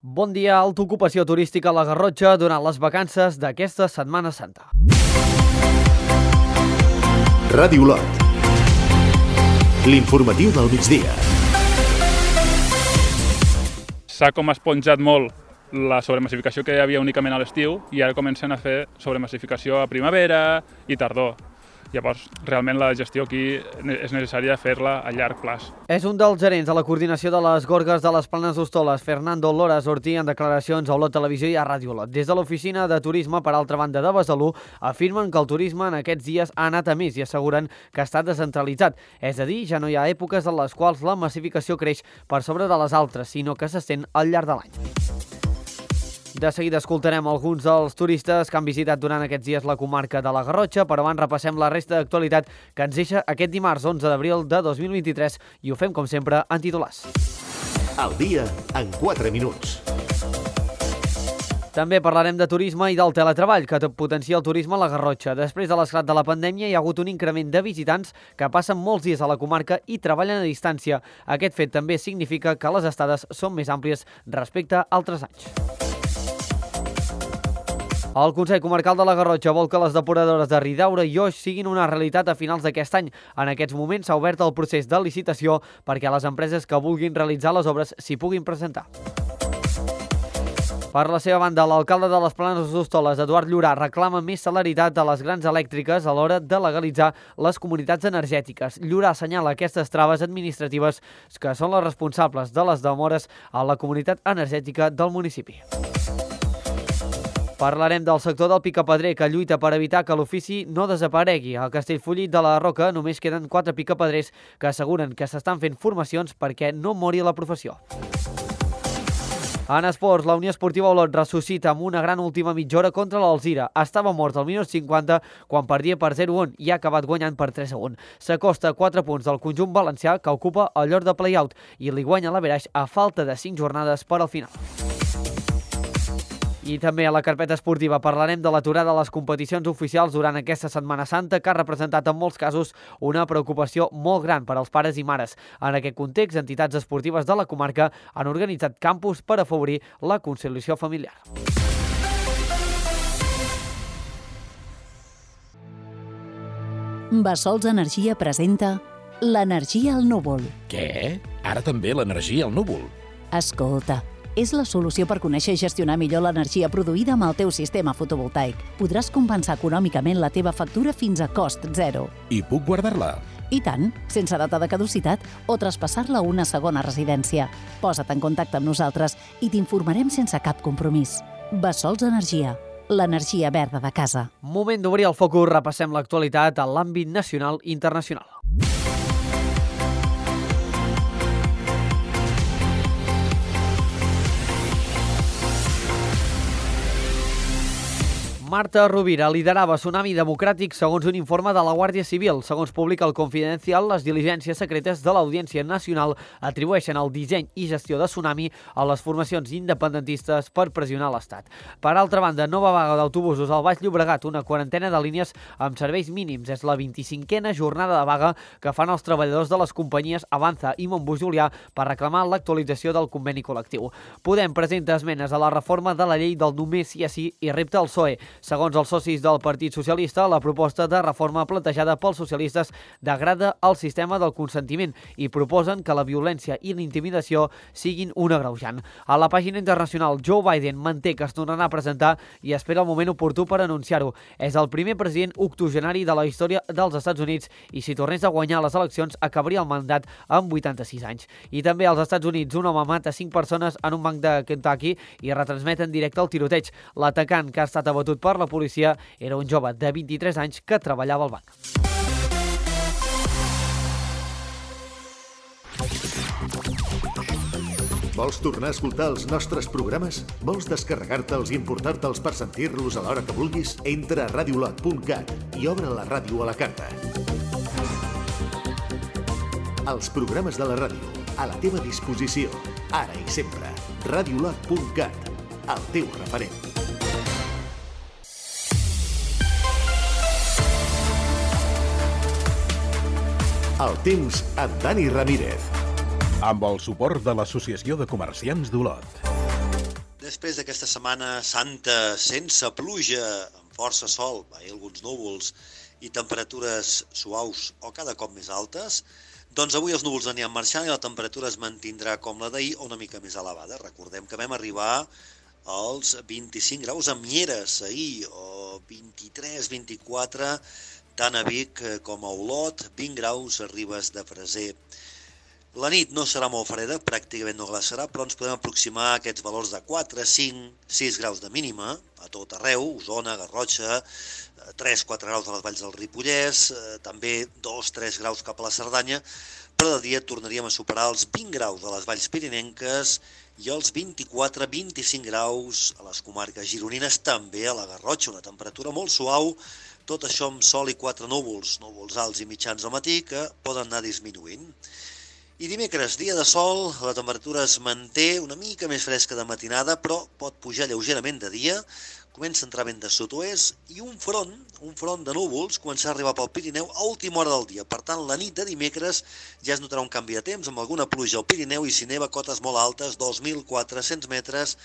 Bon dia, alta ocupació turística a la Garrotxa durant les vacances d'aquesta Setmana Santa. Ràdio Olot. L'informatiu del migdia. S'ha com esponjat molt la sobremassificació que hi havia únicament a l'estiu i ara comencen a fer sobremassificació a primavera i tardor. Llavors, realment la gestió aquí és necessària fer-la a llarg plaç. És un dels gerents de la coordinació de les gorgues de les Planes d'Hostoles, Fernando Lora, sortí en declaracions a Olot Televisió i a Ràdio Olot. Des de l'oficina de turisme, per altra banda de Besalú, afirmen que el turisme en aquests dies ha anat a més i asseguren que està descentralitzat. És a dir, ja no hi ha èpoques en les quals la massificació creix per sobre de les altres, sinó que s'estén al llarg de l'any. De seguida escoltarem alguns dels turistes que han visitat durant aquests dies la comarca de la Garrotxa, però abans repassem la resta d'actualitat que ens deixa aquest dimarts 11 d'abril de 2023 i ho fem, com sempre, en titulars. Al dia, en 4 minuts. També parlarem de turisme i del teletreball, que potencia el turisme a la Garrotxa. Després de l'esclat de la pandèmia hi ha hagut un increment de visitants que passen molts dies a la comarca i treballen a distància. Aquest fet també significa que les estades són més àmplies respecte a altres anys. El Consell Comarcal de la Garrotxa vol que les depuradores de Ridaura i Oix siguin una realitat a finals d'aquest any. En aquests moments s'ha obert el procés de licitació perquè les empreses que vulguin realitzar les obres s'hi puguin presentar. Per la seva banda, l'alcalde de les Planes d'Hostoles, Eduard Llorà, reclama més celeritat a les grans elèctriques a l'hora de legalitzar les comunitats energètiques. Llorà assenyala aquestes traves administratives que són les responsables de les demores a la comunitat energètica del municipi. Parlarem del sector del picapedrer, que lluita per evitar que l'ofici no desaparegui. A Castellfollit de la Roca només queden 4 picapedrers que asseguren que s'estan fent formacions perquè no mori la professió. En esports, la Unió Esportiva Olot ressuscita amb una gran última mitja hora contra l'Alzira. Estava mort al minut 50 quan perdia per 0-1 i ha acabat guanyant per 3-1. S'acosta a 4 punts del conjunt valencià, que ocupa el lloc de play-out i li guanya l'Averaix a falta de 5 jornades per al final. I també a la carpeta esportiva parlarem de l'aturada de les competicions oficials durant aquesta Setmana Santa, que ha representat en molts casos una preocupació molt gran per als pares i mares. En aquest context, entitats esportives de la comarca han organitzat campus per afavorir la conciliació familiar. Bassols Energia presenta l'energia al núvol. Què? Ara també l'energia al núvol? Escolta, és la solució per conèixer i gestionar millor l'energia produïda amb el teu sistema fotovoltaic. Podràs compensar econòmicament la teva factura fins a cost zero. I puc guardar-la? I tant, sense data de caducitat o traspassar-la a una segona residència. Posa't en contacte amb nosaltres i t'informarem sense cap compromís. Bassols Energia, l'energia verda de casa. Moment d'obrir el focus, repassem l'actualitat a l'àmbit nacional i internacional. Marta Rovira liderava Tsunami Democràtic segons un informe de la Guàrdia Civil. Segons publica el Confidencial, les diligències secretes de l'Audiència Nacional atribueixen el disseny i gestió de Tsunami a les formacions independentistes per pressionar l'Estat. Per altra banda, nova vaga d'autobusos al Baix Llobregat, una quarantena de línies amb serveis mínims. És la 25a jornada de vaga que fan els treballadors de les companyies Avanza i Montbus Julià per reclamar l'actualització del conveni col·lectiu. Podem presenta esmenes a la reforma de la llei del només sí a sí i repta al PSOE. Segons els socis del Partit Socialista, la proposta de reforma plantejada pels socialistes degrada el sistema del consentiment i proposen que la violència i l'intimidació siguin un agreujant. A la pàgina internacional, Joe Biden manté que es tornarà a presentar i espera el moment oportú per anunciar-ho. És el primer president octogenari de la història dels Estats Units i si tornés a guanyar les eleccions acabaria el mandat amb 86 anys. I també als Estats Units, un home mata 5 persones en un banc de Kentucky i retransmet en directe el tiroteig. L'atacant, que ha estat abatut per la policia, era un jove de 23 anys que treballava al banc. Vols tornar a escoltar els nostres programes? Vols descarregar-te'ls i importar-te'ls per sentir-los a l'hora que vulguis? Entra a radiolot.cat i obre la ràdio a la carta. Els programes de la ràdio, a la teva disposició, ara i sempre. Radiolot.cat, el teu referent. El temps amb Dani Ramírez. Amb el suport de l'Associació de Comerciants d'Olot. després d'aquesta setmana santa sense pluja, amb força sol, alguns núvols i temperatures suaus o cada cop més altes, doncs avui els núvols aniran marxant i la temperatura es mantindrà com la d'ahir o una mica més elevada. Recordem que vam arribar als 25 graus a Mieres ahir, o 23, 24, tant a Vic com a Olot, 20 graus a Ribes de Freser. La nit no serà molt freda, pràcticament no glaçarà, però ens podem aproximar a aquests valors de 4, 5, 6 graus de mínima a tot arreu, Osona, Garrotxa, 3, 4 graus a les valls del Ripollès, també 2, 3 graus cap a la Cerdanya, però de dia tornaríem a superar els 20 graus a les valls pirinenques i els 24, 25 graus a les comarques gironines, també a la Garrotxa, una temperatura molt suau, tot això amb sol i 4 núvols alts i mitjans al matí que poden anar disminuint. I dimecres, dia de sol, la temperatura es manté una mica més fresca de matinada, però pot pujar lleugerament de dia, comença a entrar vent de sud-oest i un front de núvols començarà a arribar pel Pirineu a última hora del dia. Per tant, la nit de dimecres ja es notarà un canvi de temps amb alguna pluja al Pirineu i si neva cotes molt altes, 2.400 metres,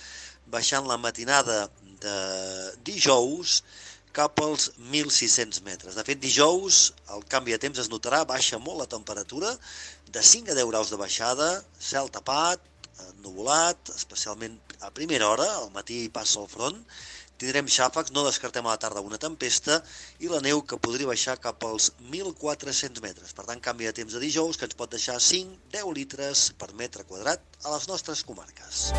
baixant la matinada de dijous cap als 1.600 metres. De fet, dijous el canvi de temps es notarà, baixa molt la temperatura, de 5 a 10 graus de baixada, cel tapat, ennuvolat, especialment a primera hora, al matí passa el front, tindrem xàfecs, no descartem a la tarda una tempesta i la neu que podria baixar cap als 1.400 metres. Per tant, canvi de temps de dijous que ens pot deixar 5-10 litres per metre quadrat a les nostres comarques.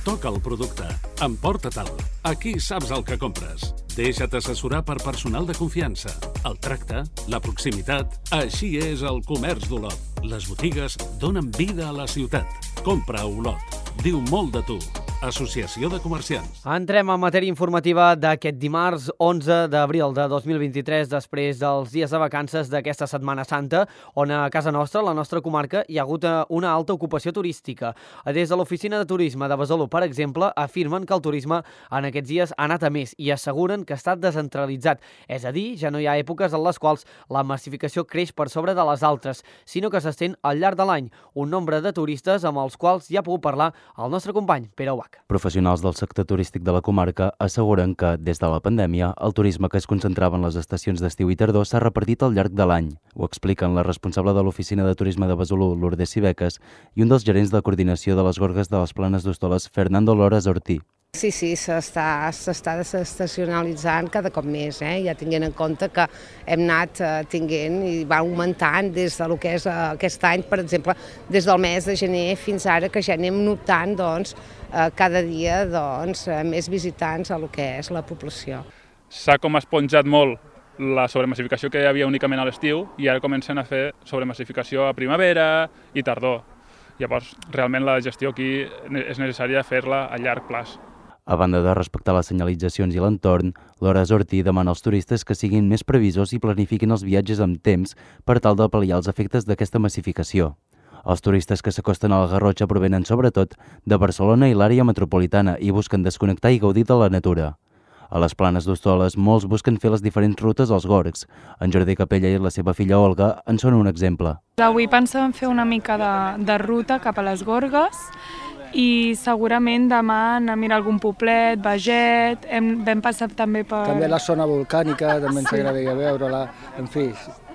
Toca el producte. Emporta-te'l. Aquí saps el que compres. Deixa't assessorar per personal de confiança. El tracte, la proximitat... Així és el comerç d'Olot. Les botigues donen vida a la ciutat. Compra a Olot. Diu molt de tu. Associació de Comerciants. Entrem en matèria informativa d'aquest dimarts 11 d'abril de 2023, després dels dies de vacances d'aquesta Setmana Santa, on a casa nostra, la nostra comarca, hi ha hagut una alta ocupació turística. Des de l'Oficina de Turisme de Besalú, per exemple, afirmen que el turisme en aquests dies ha anat a més i asseguren que està descentralitzat. És a dir, ja no hi ha èpoques en les quals la massificació creix per sobre de les altres, sinó que s'estén al llarg de l'any. Un nombre de turistes amb els quals ja ha pogut parlar el nostre company, Pere Ubach. Professionals del sector turístic de la comarca asseguren que, des de la pandèmia, el turisme que es concentrava en les estacions d'estiu i tardor s'ha repartit al llarg de l'any. Ho expliquen la responsable de l'Oficina de Turisme de Besalú, Lourdes Cibeques, i un dels gerents de coordinació de les Gorgues de les Planes d'Hostoles, Fernando Loras Ortí. Sí, s'està desestacionalitzant cada cop més, ja tenint en compte que hem anat tinguent i va augmentant des del que és aquest any, per exemple, des del mes de gener fins ara, que ja anem notant cada dia més visitants a lo que és la població. S'ha com esponjat molt la sobremassificació que hi havia únicament a l'estiu i ara comencen a fer sobremassificació a primavera i tardor. Llavors, realment la gestió aquí és necessària fer-la a llarg plaç. A banda de respectar les senyalitzacions i l'entorn, Loras Ortí demana als turistes que siguin més previsors i planifiquin els viatges amb temps per tal de pal·liar els efectes d'aquesta massificació. Els turistes que s'acosten a la Garrotxa provenen sobretot de Barcelona i l'àrea metropolitana i busquen desconnectar i gaudir de la natura. A les Planes d'Hostoles, molts busquen fer les diferents rutes als gorgs. En Jordi Capella i la seva filla Olga en són un exemple. Avui pensàvem fer una mica de ruta cap a les Gorgues i segurament demà anar a mirar algun poblet, Baget, vam passar també per... També la zona volcànica, també ens agradaria veure-la, en fi,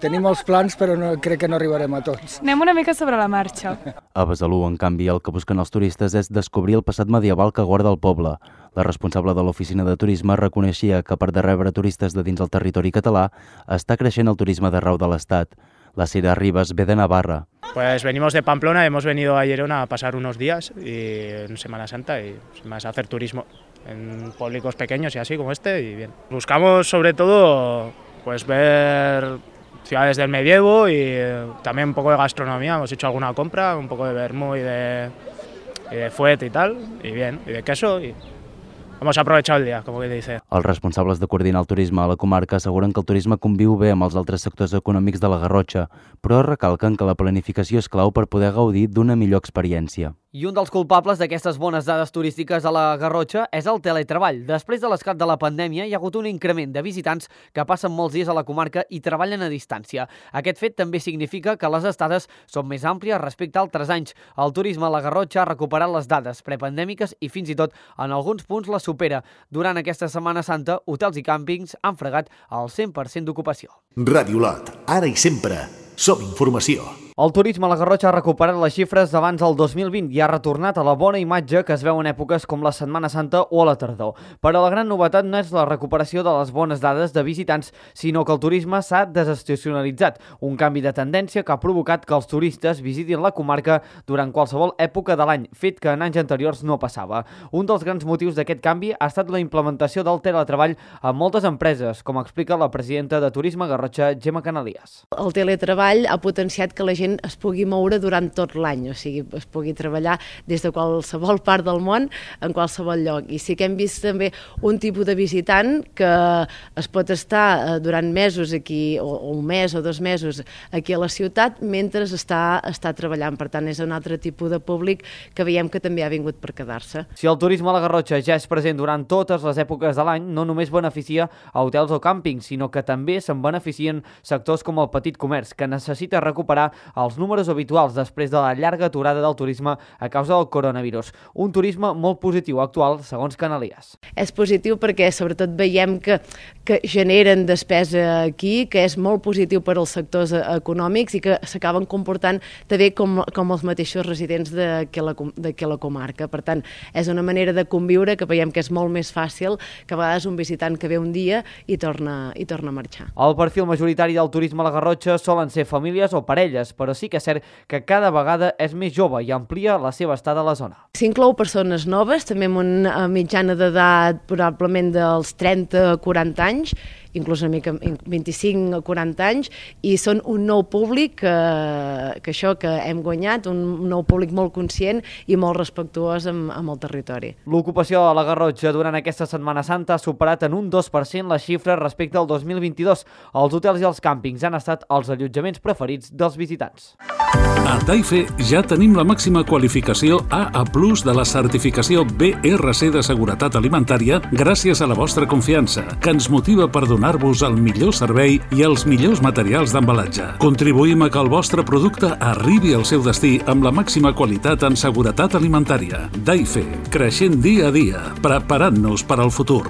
tenim molts plans però crec que no arribarem a tots. Anem una mica sobre la marxa. A Besalú, en canvi, el que busquen els turistes és descobrir el passat medieval que guarda el poble. La responsable de l'Oficina de Turisme reconeixia que, a part de rebre turistes de dins el territori català, està creixent el turisme d'arreu de l'Estat. La Sira Ribas ve de Navarra. Pues venimos de Pamplona, hemos venido a Gerona a pasar unos días en Semana Santa y más a hacer turismo en pueblos pequeños y así como este y bien. Buscamos sobre todo pues ver ciudades del medievo y también un poco de gastronomía, hemos hecho alguna compra, un poco de vermú y de fuet y tal, y bien, y de queso y hemos aprovechado el día, como que dice. Els responsables de coordinar el turisme a la comarca asseguren que el turisme conviu bé amb els altres sectors econòmics de la Garrotxa, però recalquen que la planificació és clau per poder gaudir d'una millor experiència. I un dels culpables d'aquestes bones dades turístiques a la Garrotxa és el teletreball. Després de l'esclat de la pandèmia hi ha hagut un increment de visitants que passen molts dies a la comarca i treballen a distància. Aquest fet també significa que les estades són més àmplies respecte a altres anys. El turisme a la Garrotxa ha recuperat les dades prepandèmiques i fins i tot en alguns punts les supera. Durant aquesta Setmana Santa, hotels i càmpings han fregat el 100% d'ocupació. Ràdio Lot, ara i sempre, som informació. El turisme a la Garrotxa ha recuperat les xifres d'abans del 2020 i ha retornat a la bona imatge que es veu en èpoques com la Setmana Santa o a la tardor. Però la gran novetat no és la recuperació de les bones dades de visitants, sinó que el turisme s'ha desestacionalitzat, un canvi de tendència que ha provocat que els turistes visitin la comarca durant qualsevol època de l'any, fet que en anys anteriors no passava. Un dels grans motius d'aquest canvi ha estat la implementació del teletreball a moltes empreses, com explica la presidenta de Turisme Garrotxa, Gemma Canalias. El teletreball ha potenciat que la gent es pugui moure durant tot l'any, o sigui, es pugui treballar des de qualsevol part del món en qualsevol lloc. I sí que hem vist també un tipus de visitant que es pot estar durant mesos aquí, o un mes o 2 mesos aquí a la ciutat, mentre està treballant. Per tant, és un altre tipus de públic que veiem que també ha vingut per quedar-se. Si el turisme a la Garrotxa ja és present durant totes les èpoques de l'any, no només beneficia a hotels o càmpings, sinó que també se'n beneficien sectors com el petit comerç, que necessita recuperar els números habituals després de la llarga aturada del turisme a causa del coronavirus. Un turisme molt positiu actual, segons Canalias. És positiu perquè sobretot veiem que generen despesa aquí, que és molt positiu per als sectors econòmics i que s'acaben comportant també com els mateixos residents d'aquí a la comarca. Per tant, és una manera de conviure que veiem que és molt més fàcil que a vegades un visitant que ve un dia i torna a marxar. El perfil majoritari del turisme a la Garrotxa solen ser famílies o parelles, però sí que és cert que cada vegada és més jove i amplia la seva estada a la zona. S'inclou persones noves, també amb una mitjana d'edat probablement dels 30 a 40 anys, inclús una mica 25 a 40 anys, i són un nou públic que hem guanyat, un nou públic molt conscient i molt respectuós amb el territori. L'ocupació a la Garrotxa durant aquesta Setmana Santa ha superat en un 2% les xifres respecte al 2022. Els hotels i els càmpings han estat els allotjaments preferits dels visitants. A Taife ja tenim la màxima qualificació AA+ de la certificació BRC de seguretat alimentària gràcies a la vostra confiança, que ens motiva per donar-vos el millor servei i els millors materials d'embalatge. Contribuïm a que el vostre producte arribi al seu destí amb la màxima qualitat en seguretat alimentària. Taife, creixent dia a dia, preparant-nos per al futur.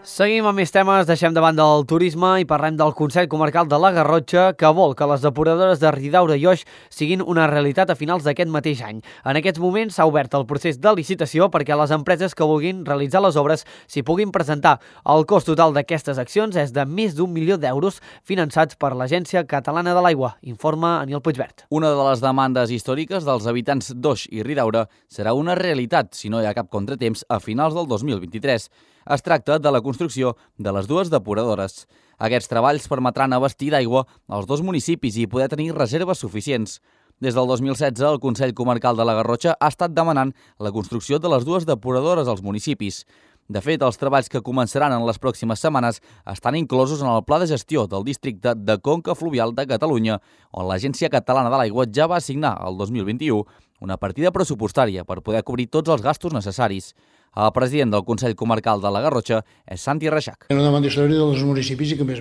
Seguim amb més temes, deixem de banda el turisme i parlem del Consell Comarcal de la Garrotxa, que vol que les depuradores de Ridaura i Oix siguin una realitat a finals d'aquest mateix any. En aquests moments s'ha obert el procés de licitació perquè les empreses que vulguin realitzar les obres s'hi puguin presentar. El cost total d'aquestes accions és de més d'1 milió d'euros finançats per l'Agència Catalana de l'Aigua, informa Aniol Puigvert. Una de les demandes històriques dels habitants d'Oix i Ridaura serà una realitat, si no hi ha cap contratemps, a finals del 2023. Es tracta de la construcció de les 2 depuradores. Aquests treballs permetran abastir d'aigua als 2 municipis i poder tenir reserves suficients. Des del 2016, el Consell Comarcal de la Garrotxa ha estat demanant la construcció de les 2 depuradores als municipis. De fet, els treballs que començaran en les pròximes setmanes estan inclosos en el Pla de Gestió del Districte de Conca Fluvial de Catalunya, on l'Agència Catalana de l'Aigua ja va assignar el 2021 una partida pressupostària per poder cobrir tots els gastos necessaris. El president del Consell Comarcal de la Garrotxa és Santi Reixac. Una demanda històrica dels municipis i que, a més,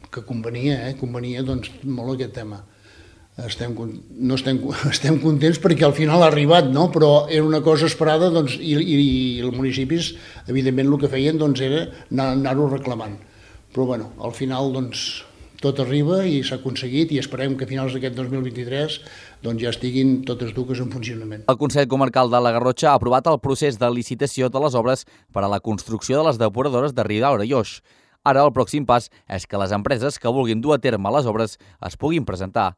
que convenia doncs, molt aquest tema. Estem contents perquè al final ha arribat, no? Però era una cosa esperada doncs, i els municipis, evidentment, el que feien doncs, era anar-ho reclamant. Però al final doncs, tot arriba i s'ha aconseguit i esperem que a finals d'aquest 2023 doncs, ja estiguin totes dues en funcionament. El Consell Comarcal de la Garrotxa ha aprovat el procés de licitació de les obres per a la construcció de les depuradores de Ridaura i Oix. Ara el pròxim pas és que les empreses que vulguin dur a terme les obres es puguin presentar.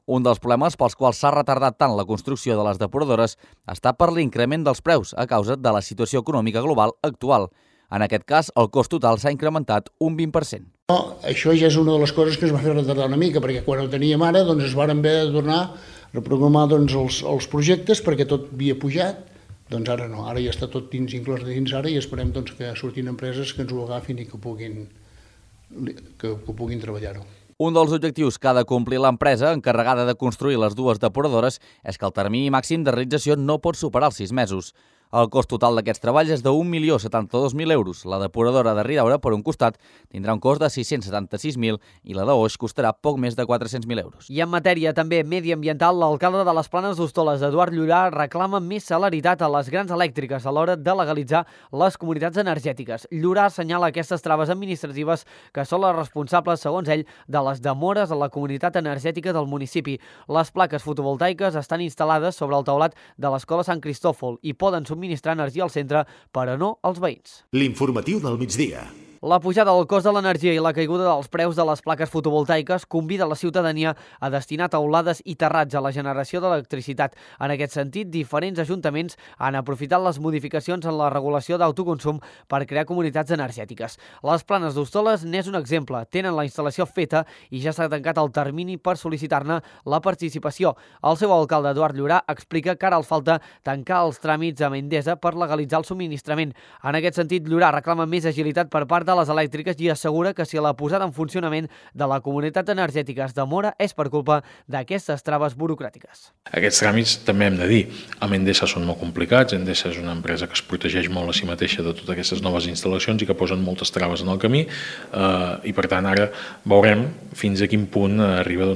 Un dels problemes pels quals s'ha retardat tant la construcció de les depuradores està per l'increment dels preus a causa de la situació econòmica global actual. En aquest cas, el cost total s'ha incrementat un 20%. Això ja és una de les coses que es va fer retardar una mica, perquè quan ho teníem ara doncs es van haver de tornar a reprogramar doncs, els projectes perquè tot havia pujat. Doncs ara no, ara ja està tot inclòs dins ara i esperem doncs, que surtin empreses que ens ho agafin i que puguin treballar-ho. Un dels objectius que ha de complir l'empresa encarregada de construir les dues depuradores és que el termini màxim de realització no pot superar els 6 mesos. El cost total d'aquests treballs és de 1.072.000 euros. La depuradora de Ridaura, per un costat, tindrà un cost de 676.000 i la d'Oix costarà poc més de 400.000 euros. I en matèria també mediambiental, l'alcalde de les Planes d'Hostoles, Eduard Llorà, reclama més celeritat a les grans elèctriques a l'hora de legalitzar les comunitats energètiques. Llorà assenyala aquestes traves administratives que són les responsables, segons ell, de les demores a la comunitat energètica del municipi. Les plaques fotovoltaiques estan instal·lades sobre el teulat de l'Escola Sant Cristòfol i poden subministrar energia al centre, però no als veïns. L'informatiu del migdia. La pujada del cost de l'energia i la caiguda dels preus de les plaques fotovoltaiques convida la ciutadania a destinar teulades i terrats a la generació d'electricitat. En aquest sentit, diferents ajuntaments han aprofitat les modificacions en la regulació d'autoconsum per crear comunitats energètiques. Les Planes d'Hostoles n'és un exemple. Tenen la instal·lació feta i ja s'ha tancat el termini per sol·licitar-ne la participació. El seu alcalde, Eduard Llorà, explica que ara els falta tancar els tràmits amb Endesa per legalitzar el subministrament. En aquest sentit, Llorà reclama més agilitat per part de les elèctriques i assegura que si la posada en funcionament de la comunitat energètica es demora és per culpa d'aquestes traves burocràtiques. Aquests tràmits també hem de dir, amb Endesa són molt complicats. Endesa és una empresa que es protegeix molt a si mateixa de totes aquestes noves instal·lacions i que posen moltes traves en el camí i per tant ara veurem fins a quin punt arriba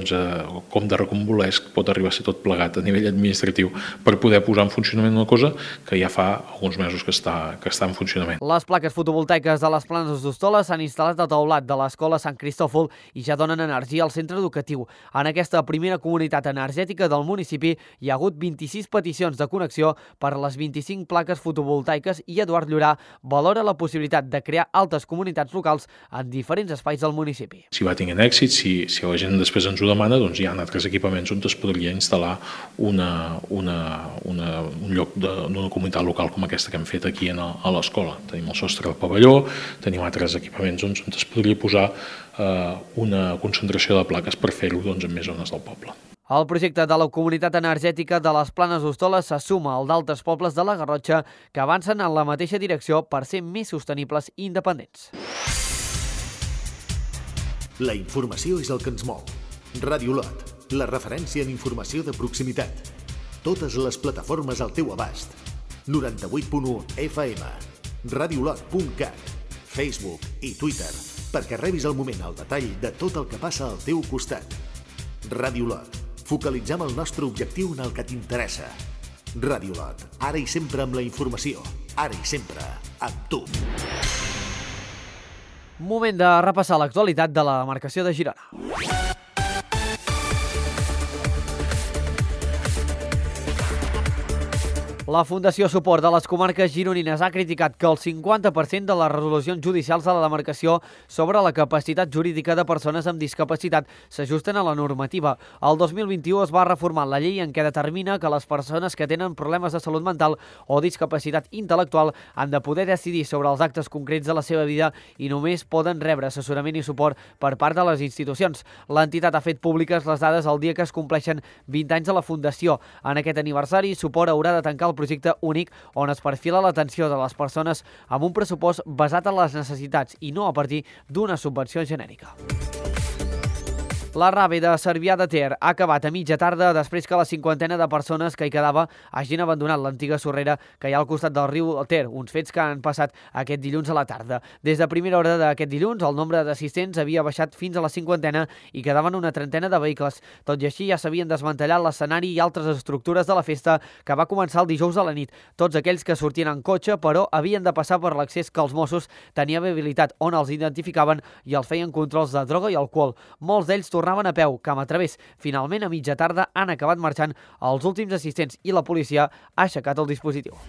com de recombolesc pot arribar a ser tot plegat a nivell administratiu per poder posar en funcionament una cosa que ja fa alguns mesos que està en funcionament. Les plaques fotovoltaiques de les Planes d'Hostoles s'han instal·lat al teulat de l'Escola Sant Cristòfol i ja donen energia al centre educatiu. En aquesta primera comunitat energètica del municipi hi ha hagut 26 peticions de connexió per les 25 plaques fotovoltaiques i Eduard Llorà valora la possibilitat de crear altres comunitats locals en diferents espais del municipi. Si va tinguent èxit, si la gent després ens ho demana, doncs hi ha altres equipaments on es podria instal·lar un lloc d'una comunitat local com aquesta que hem fet aquí a l'escola. Tenim el sostre del pavelló, tenim altres equipaments on es podria posar una concentració de plaques per fer-ho en més zones del poble. El projecte de la comunitat energètica de les Planes d'Hostoles se suma al d'altres pobles de la Garrotxa que avancen en la mateixa direcció per ser més sostenibles i independents. La informació és el que ens mou. Ràdio Lot, la referència en informació de proximitat. Totes les plataformes al teu abast. 98.1 FM, radiolot.cat, Facebook i Twitter, perquè rebis al moment el detall de tot el que passa al teu costat. Ràdio Lot, focalitzem el nostre objectiu en el que t'interessa. Ràdio Lot, ara i sempre amb la informació, ara i sempre amb tu. Moment de repassar l'actualitat de la demarcació de Girona. La Fundació Suport de les Comarques Gironines ha criticat que el 50% de les resolucions judicials de la demarcació sobre la capacitat jurídica de persones amb discapacitat s'ajusten a la normativa. El 2021 es va reformar la llei en què determina que les persones que tenen problemes de salut mental o discapacitat intel·lectual han de poder decidir sobre els actes concrets de la seva vida i només poden rebre assessorament i suport per part de les institucions. L'entitat ha fet públiques les dades el dia que es compleixen 20 anys de la Fundació. En aquest aniversari, Suport haurà de tancar el projecte únic on es perfila l'atenció de les persones amb un pressupost basat en les necessitats i no a partir d'una subvenció genèrica. La Rave de Cervià de Ter ha acabat a mitja tarda després que la cinquantena de persones que hi quedava hagin abandonat l'antiga sorrera que hi ha al costat del riu Ter, uns fets que han passat aquest dilluns a la tarda. Des de primera hora d'aquest dilluns, el nombre d'assistents havia baixat fins a la cinquantena i quedaven una trentena de vehicles. Tot i així, ja s'havien desmantellat l'escenari i altres estructures de la festa que va començar el dijous a la nit. Tots aquells que sortien en cotxe, però, havien de passar per l'accés que els Mossos tenien habilitat, on els identificaven i els feien controls de droga i alcohol. Molts d'ells tornaven a peu, camp a través. Finalment, a mitja tarda, han acabat marxant els últims assistents i la policia ha aixecat el dispositiu.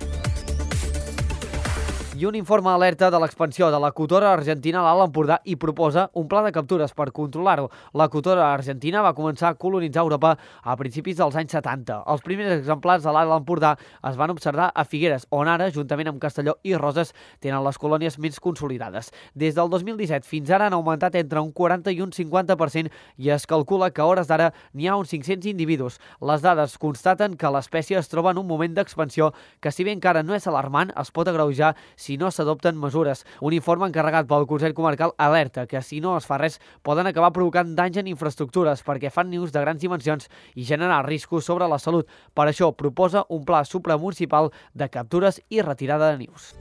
I un informe alerta de l'expansió de la cotora argentina a l'Alt Empordà i proposa un pla de captures per controlar-ho. La cotora argentina va començar a colonitzar Europa a principis dels anys 70. Els primers exemplars de l'Alt Empordà es van observar a Figueres, on ara, juntament amb Castelló i Roses, tenen les colònies més consolidades. Des del 2017 fins ara han augmentat entre un 40 i un 50% i es calcula que a hores d'ara n'hi ha uns 500 individus. Les dades constaten que l'espècie es troba en un moment d'expansió que, si bé encara no és alarmant, es pot agreujar si no s'adopten mesures. Un informe encarregat pel Consell Comarcal alerta que si no es fa res poden acabar provocant danys en infraestructures perquè fan nius de grans dimensions i generar riscos sobre la salut. Per això proposa un pla supramunicipal de captures i retirada de nius.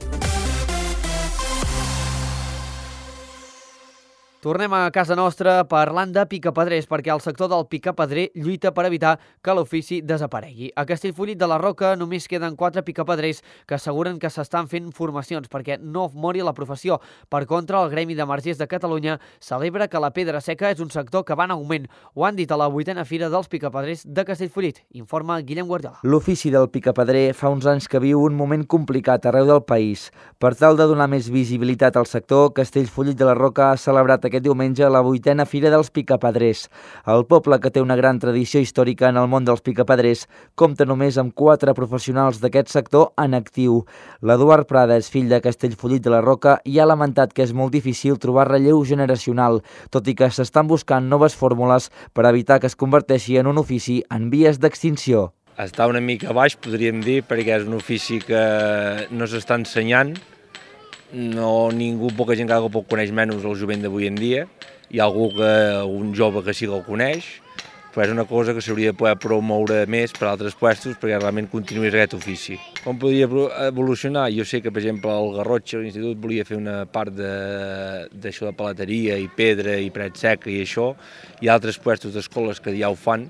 Tornem a casa nostra parlant de picapedrers, perquè el sector del picapedrer lluita per evitar que l'ofici desaparegui. A Castellfollit de la Roca només queden 4 picapedrers que asseguren que s'estan fent formacions perquè no mori la professió. Per contra, el Gremi de Margers de Catalunya celebra que la pedra seca és un sector que va en augment. Ho han dit a la 8a Fira dels Picapedrers de Castellfollit, informa Guillem Guardiola. L'ofici del picapedrer fa uns anys que viu un moment complicat arreu del país. Per tal de donar més visibilitat al sector, Castellfollit de la Roca ha celebrat aquest diumenge la 8a Fira dels Picapedrers. El poble, que té una gran tradició històrica en el món dels picapedrers, compta només amb 4 professionals d'aquest sector en actiu. L'Eduard Prades, fill de Castellfollit de la Roca, i ha lamentat que és molt difícil trobar relleu generacional, tot i que s'estan buscant noves fórmules per evitar que es converteixi en un ofici en vies d'extinció. Està una mica baix, podríem dir, perquè és un ofici que no s'està ensenyant. Poca gent que el coneix menys el jovent d'avui en dia. Hi ha un jove que sí que el coneix, però és una cosa que s'hauria de poder promoure més per altres puestos perquè realment continuïs aquest ofici. Com podria evolucionar? Jo sé que, per exemple, el Garrotxa, l'Institut, volia fer una part d'això de palateria i pedra i paret seca i això. Hi ha altres puestos d'escoles que ja ho fan.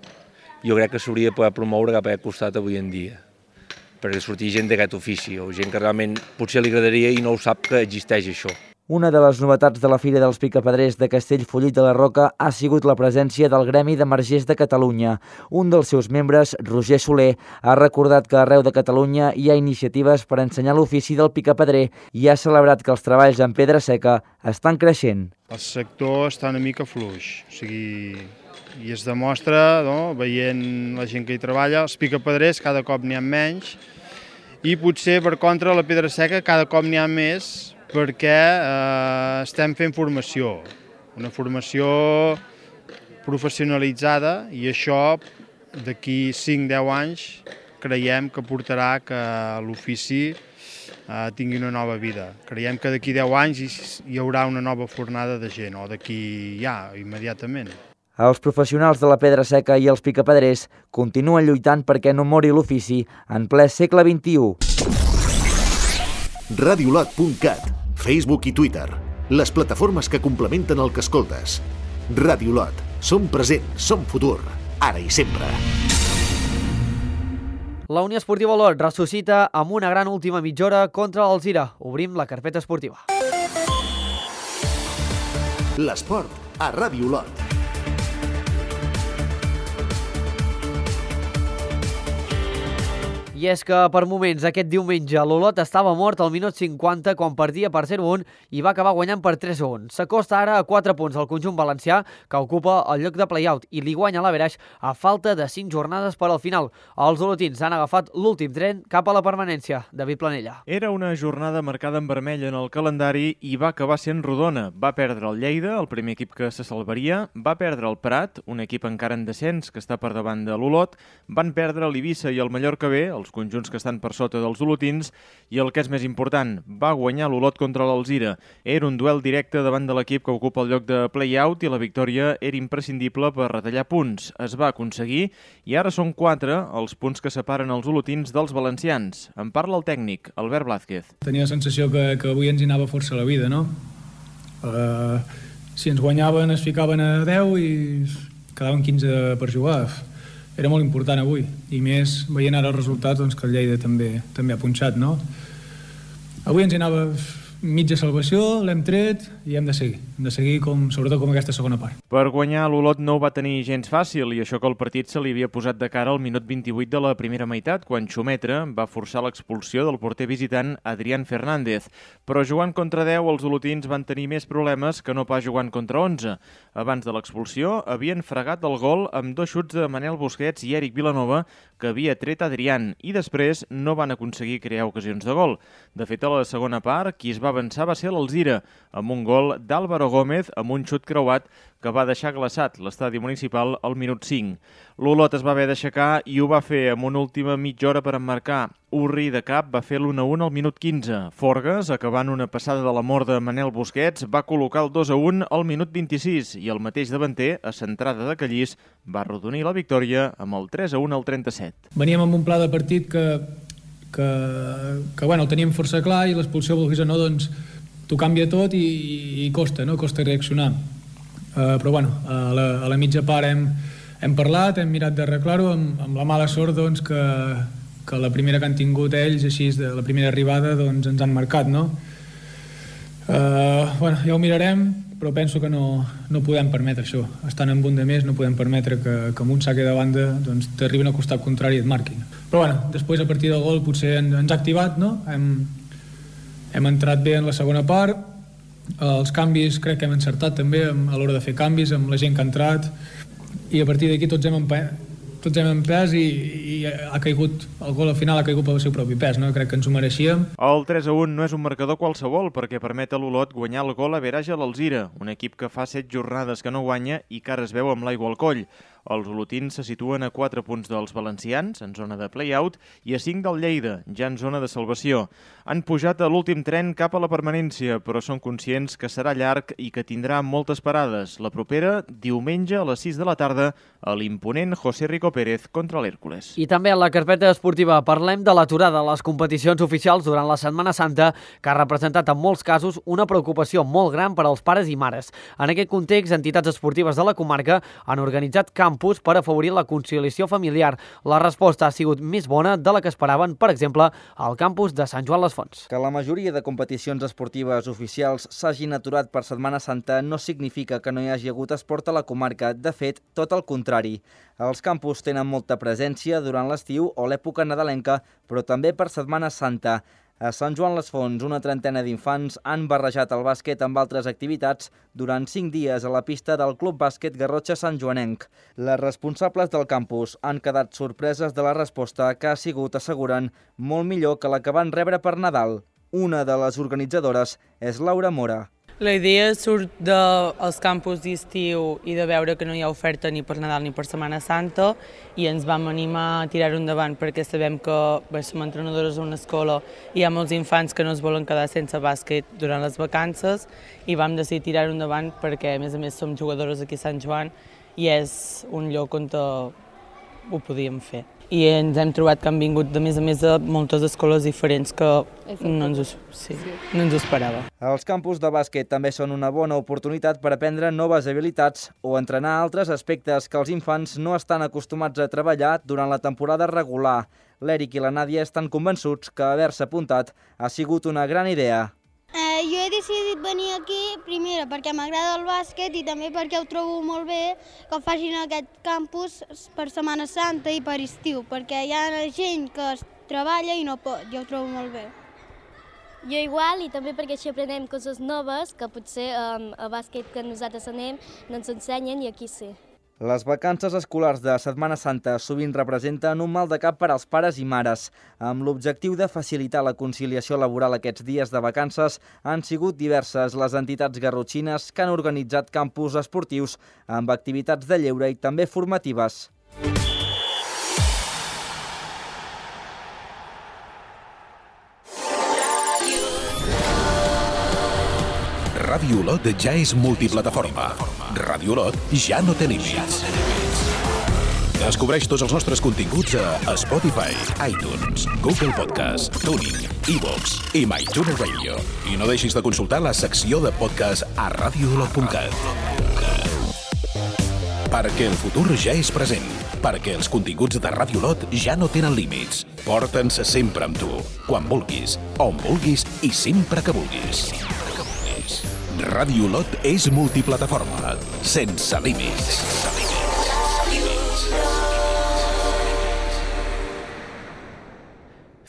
Jo crec que s'hauria de poder promoure cap a aquest costat avui en dia, perquè sortir gent d'aquest ofici, o gent que realment potser li agradaria i no ho sap que existeix això. Una de les novetats de la Fira dels Picapedrers de Castellfollit de la Roca ha sigut la presència del Gremi de Margers de Catalunya. Un dels seus membres, Roger Soler, ha recordat que arreu de Catalunya hi ha iniciatives per ensenyar l'ofici del picapedrer i ha celebrat que els treballs en pedra seca estan creixent. El sector està una mica fluix, i es demostra, veient la gent que hi treballa, els picapedrers cada cop n'hi ha menys i potser, per contra, la pedra seca cada cop n'hi ha més perquè estem fent formació, una formació professionalitzada, i això d'aquí 5-10 anys creiem que portarà que l'ofici tingui una nova vida. Creiem que d'aquí 10 anys hi haurà una nova fornada de gent, o d'aquí ja, immediatament. Els professionals de la pedra seca i els picapedrers continuen lluitant perquè no mori l'ofici en ple segle XXI. Radiolot.cat, Facebook i Twitter, les plataformes que complementen el que escoltes. Radiolot, som present, som futur, ara i sempre. La Unió Esportiva Olot ressuscita amb una gran última mitja hora contra l'Alzira. Obrim la carpeta esportiva. L'esport a Radiolot. I és que per moments aquest diumenge l'Olot estava mort al minut 50 quan perdia per 0-1 i va acabar guanyant per 3-1. S'acosta ara a 4 punts al conjunt valencià, que ocupa el lloc de play-out i li guanya l'Averaix a falta de 5 jornades per al final. Els olotins han agafat l'últim tren cap a la permanència. David Planella. Era una jornada marcada en vermell en el calendari i va acabar sent rodona. Va perdre el Lleida, el primer equip que se salvaria, va perdre el Prat, un equip encara en descens que està per davant de l'Olot, van perdre l'Eivissa i el Mallorca B, els conjunts que estan per sota dels olotins, i el que és més important, va guanyar l'Olot contra l'Alzira. Era un duel directe davant de l'equip que ocupa el lloc de play-out i la victòria era imprescindible per retallar punts. Es va aconseguir i ara són 4 els punts que separen els olotins dels valencians. En parla el tècnic, Albert Blázquez. Tenia la sensació que avui ens hi anava força la vida, no? Si ens guanyaven es ficaven a 10 i quedaven 15 per jugar. Era molt important avui, i més veient ara els resultats doncs, que el Lleida també ha punxat, no? Avui ens hi anava mitja salvació, l'hem tret i hem de seguir sobretot com aquesta segona part. Per guanyar, l'Olot no ho va tenir gens fàcil, i això que el partit se li havia posat de cara al minut 28 de la primera meitat, quan Xumetre va forçar l'expulsió del porter visitant Adrián Fernández. Però jugant contra 10, els olotins van tenir més problemes que no pas jugant contra 11. Abans de l'expulsió, havien fregat el gol amb 2 xuts de Manel Busquets i Eric Vilanova, que havia tret Adrián, i després no van aconseguir crear ocasions de gol. De fet, a la segona part, qui es va avançar va ser l'Alzira, amb un gol d'Álvaro Gómez amb un xut creuat que va deixar glaçat l'estadi municipal al minut 5. L'Olot es va haver d'aixecar i ho va fer amb una última mitja hora per emmarcar. Urri de cap va fer l'1-1 al minut 15. Forgues, acabant una passada de l'amor de Manel Busquets, va col·locar el 2-1 al minut 26 i el mateix davanter, a centrada de Callís, va arrodonir la victòria amb el 3-1 al 37. Veníem amb un pla de partit que bueno, el teníem força clar i l'expulsió, vulguis o no, doncs t'ho canvia tot i costa, no? Costa reaccionar. Però bueno, a la mitja part hem parlat, hem mirat d'arreglar-ho amb la mala sort doncs, que la primera que han tingut ells, així, de la primera arribada, doncs ens han marcat, no? Bueno, ja ho mirarem, però penso que no podem permetre això. Estant en un de més no podem permetre que amb un saque de banda doncs, t'arribin al costat contrari i et marquin. Però bueno, després a partir del gol potser ens ha activat, no? Hem entrat bé en la segona part, els canvis crec que hem encertat també a l'hora de fer canvis amb la gent que ha entrat i a partir d'aquí tots hem empès i ha caigut, el gol al final ha caigut pel seu propi pes, no? Crec que ens ho mereixíem. El 3-1 no és un marcador qualsevol perquè permet a l'Olot guanyar el gol a Veraja a l'Alzira, un equip que fa 7 jornades que no guanya i que ara es veu amb l'aigua al coll. Els olotins se situen a 4 punts dels valencians, en zona de play-out, i a 5 del Lleida, ja en zona de salvació. Han pujat a l'últim tren cap a la permanència, però són conscients que serà llarg i que tindrà moltes parades. La propera, diumenge a les 6 de la tarda, a l'imponent José Rico Pérez contra l'Hèrcules. I també a la carpeta esportiva parlem de l'aturada a les competicions oficials durant la Setmana Santa, que ha representat en molts casos una preocupació molt gran per als pares i mares. En aquest context, entitats esportives de la comarca han organitzat campus per afavorir la conciliació familiar. La resposta ha sigut més bona de la que esperaven, per exemple, al campus de Sant Joan les Fonts. Que la majoria de competicions esportives oficials s'hagin aturat per Setmana Santa no significa que no hi hagi hagut esport a la comarca. De fet, tot el contrari. Els campus tenen molta presència durant l'estiu o l'època nadalenca, però també per Setmana Santa. A Sant Joan les Fonts, una trentena d'infants han barrejat el bàsquet amb altres activitats durant 5 dies a la pista del Club Bàsquet Garrotxa Sant Joanenc. Les responsables del campus han quedat sorpreses de la resposta que ha sigut, asseguren, molt millor que la que van rebre per Nadal. Una de les organitzadores és Laura Mora. La idea surt dels campus d'estiu i de veure que no hi ha oferta ni per Nadal ni per Setmana Santa i ens vam animar a tirar-ho endavant perquè sabem que som entrenadores d'una escola i hi ha molts infants que no es volen quedar sense bàsquet durant les vacances i vam decidir tirar-ho endavant perquè a més som jugadores aquí a Sant Joan i és un lloc on ho podíem fer. I ens hem trobat que han vingut de més a més de moltes escoles diferents que no ens ho esperava. Els campus de bàsquet també són una bona oportunitat per aprendre noves habilitats o entrenar altres aspectes que els infants no estan acostumats a treballar durant la temporada regular. L'Eric i la Nàdia estan convençuts que haver-se apuntat ha sigut una gran idea. Jo he decidit venir aquí, primera, perquè m'agrada el bàsquet i també perquè ho trobo molt bé que facin aquest campus per Setmana Santa i per estiu, perquè hi ha gent que es treballa i no pot, jo ho trobo molt bé. Jo igual, i també perquè així aprenem coses noves que potser a bàsquet que nosaltres anem no ens ensenyen i aquí sí. Les vacances escolars de Setmana Santa sovint representen un mal de cap per als pares i mares. Amb l'objectiu de facilitar la conciliació laboral aquests dies de vacances, han sigut diverses les entitats garrotxines que han organitzat campus esportius amb activitats de lleure i també formatives. Ràdio Olot ja és multiplataforma. Ràdio Olot ja no té límits. Descobreix tots els nostres continguts a Spotify, iTunes, Google Podcast, TuneIn, iVoox i MyTuner Radio. I no deixis de consultar la secció de podcast a radioolot.cat. Perquè el futur ja és present. Perquè els continguts de Ràdio Olot ja no tenen límits. Porta'ns sempre amb tu, quan vulguis, on vulguis i sempre que vulguis. Ràdio Olot és multiplataforma, sense límits.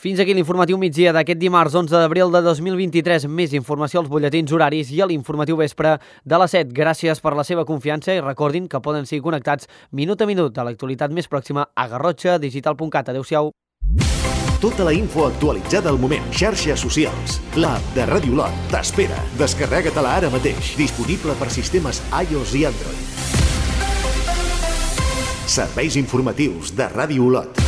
Fins aquí l'informatiu migdia d'aquest dimarts 11 d'abril de 2023. Més informació als butlletins horaris i a l'informatiu vespre de les 7. Gràcies per la seva confiança i recordin que poden seguir connectats minut a minut a l'actualitat més pròxima a garrotxadigital.cat. Adéu-siau. Tota la info actualitzada al moment. Xarxes socials. L'app de Ràdio Olot t'espera. Descarrega-te-la ara mateix. Disponible per sistemes iOS i Android. Serveis informatius de Ràdio Olot.